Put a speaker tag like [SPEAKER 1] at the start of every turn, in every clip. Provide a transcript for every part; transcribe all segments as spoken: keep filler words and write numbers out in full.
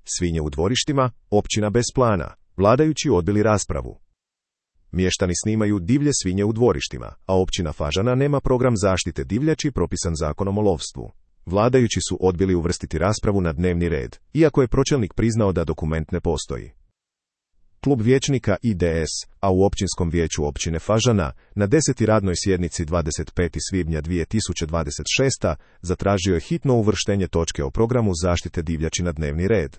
[SPEAKER 1] Svinje u dvorištima, općina bez plana. Vladajući odbili raspravu. Mještani snimaju divlje svinje u dvorištima, a općina Fažana nema program zaštite divljači propisan zakonom o lovstvu. Vladajući su odbili uvrstiti raspravu na dnevni red, iako je pročelnik priznao da dokument ne postoji. Klub vijećnika I D S, a u općinskom vijeću općine Fažana, na desetoj radnoj sjednici dvadeset petog svibnja dvije tisuće dvadeset šeste. zatražio je hitno uvrštenje točke o programu zaštite divljači na dnevni red.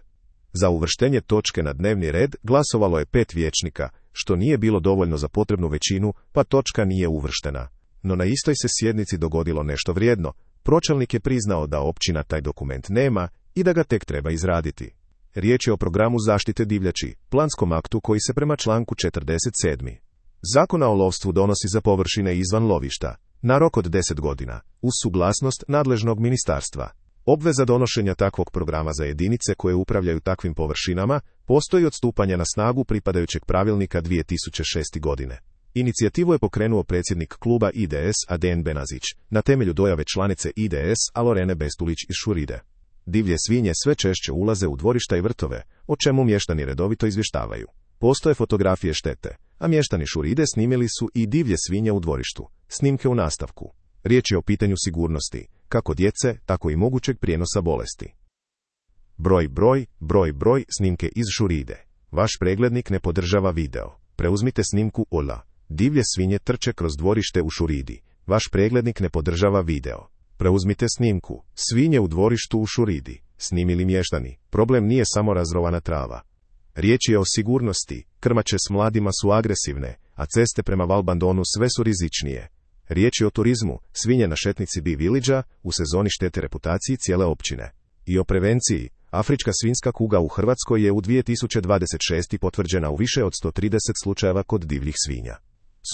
[SPEAKER 1] Za uvrštenje točke na dnevni red glasovalo je pet vijećnika, što nije bilo dovoljno za potrebnu većinu, pa točka nije uvrštena. No na istoj se sjednici dogodilo nešto vrijedno. Pročelnik je priznao da općina taj dokument nema i da ga tek treba izraditi. Riječ je o programu zaštite divljači, planskom aktu koji se prema članku četrdeset sedam. Zakona o lovstvu donosi za površine izvan lovišta, na rok od deset godina, uz suglasnost nadležnog ministarstva. Obveza donošenja takvog programa za jedinice koje upravljaju takvim površinama postoji od stupanja na snagu pripadajućeg pravilnika dvije tisuće šeste. godine. Inicijativu je pokrenuo predsjednik kluba I D S Aden Benazić, na temelju dojave članice I D S Alorene Bestulić iz Šuride. Divlje svinje sve češće ulaze u dvorišta i vrtove, o čemu mještani redovito izvještavaju. Postoje fotografije štete, a mještani Šuride snimili su i divlje svinje u dvorištu. Snimke u nastavku. Riječ je o pitanju sigurnosti, kako djece, tako i mogućeg prijenosa bolesti. Broj, broj, broj, broj, snimke iz Šuride. Vaš preglednik ne podržava video. Preuzmite snimku Ola. Divlje svinje trče kroz dvorište u Šuridi. Vaš preglednik ne podržava video. Preuzmite snimku. Svinje u dvorištu u Šuridi. Snimili mještani. Problem nije samo razrovana trava. Riječ je o sigurnosti. Krmače s mladima su agresivne, a ceste prema Valbandonu sve su rizičnije. Riječ je o turizmu. Svinje na šetnici B-Villagea u sezoni štete reputaciji cijele općine. I o prevenciji. Afrička svinjska kuga u Hrvatskoj je u dvije tisuće dvadeset šeste. potvrđena u više od sto trideset slučajeva kod divljih svinja.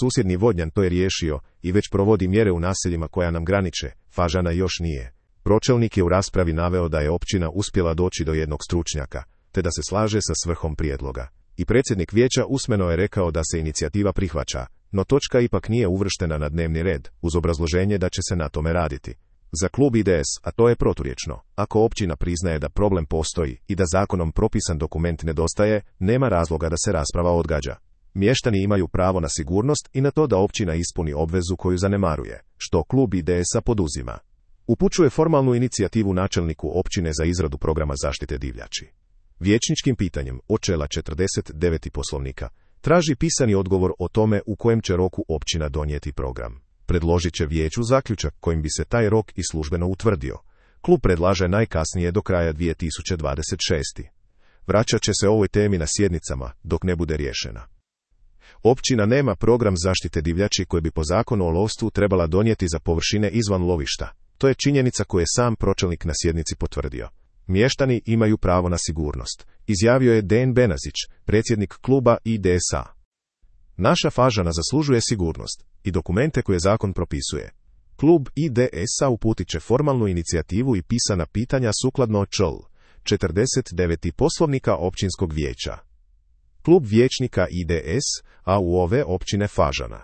[SPEAKER 1] Susjedni Vodnjan to je riješio i već provodi mjere u naseljima koja nam graniče, Fažana još nije. Pročelnik je u raspravi naveo da je općina uspjela doći do jednog stručnjaka, te da se slaže sa svrhom prijedloga. I predsjednik vijeća usmeno je rekao da se inicijativa prihvaća, no točka ipak nije uvrštena na dnevni red, uz obrazloženje da će se na tome raditi. Za klub I D S, a to je proturječno, ako općina priznaje da problem postoji i da zakonom propisan dokument nedostaje, nema razloga da se rasprava odgađa. Mještani imaju pravo na sigurnost i na to da općina ispuni obvezu koju zanemaruje, što klub I D S-a poduzima. Upućuje formalnu inicijativu načelniku općine za izradu programa zaštite divljači. Vijećničkim pitanjem, od čela četrdeset devet Poslovnika, traži pisani odgovor o tome u kojem će roku općina donijeti program. Predložit će vijeću zaključak kojim bi se taj rok i službeno utvrdio. Klub predlaže najkasnije do kraja dvije tisuće dvadeset šeste. Vraćat će se ovoj temi na sjednicama, dok ne bude riješena. Općina nema program zaštite divljači koji bi po zakonu o lovstvu trebala donijeti za površine izvan lovišta. To je činjenica koju je sam pročelnik na sjednici potvrdio. Mještani imaju pravo na sigurnost, izjavio je Aden Benazić, predsjednik kluba I D S-a. Naša Fažana zaslužuje sigurnost i dokumente koje zakon propisuje. Klub I D S-a uputit će formalnu inicijativu i pisana pitanja sukladno čl. četrdeset devet Poslovnika općinskog vijeća. Klub vijećnika I D S, a u ove općine Fažana.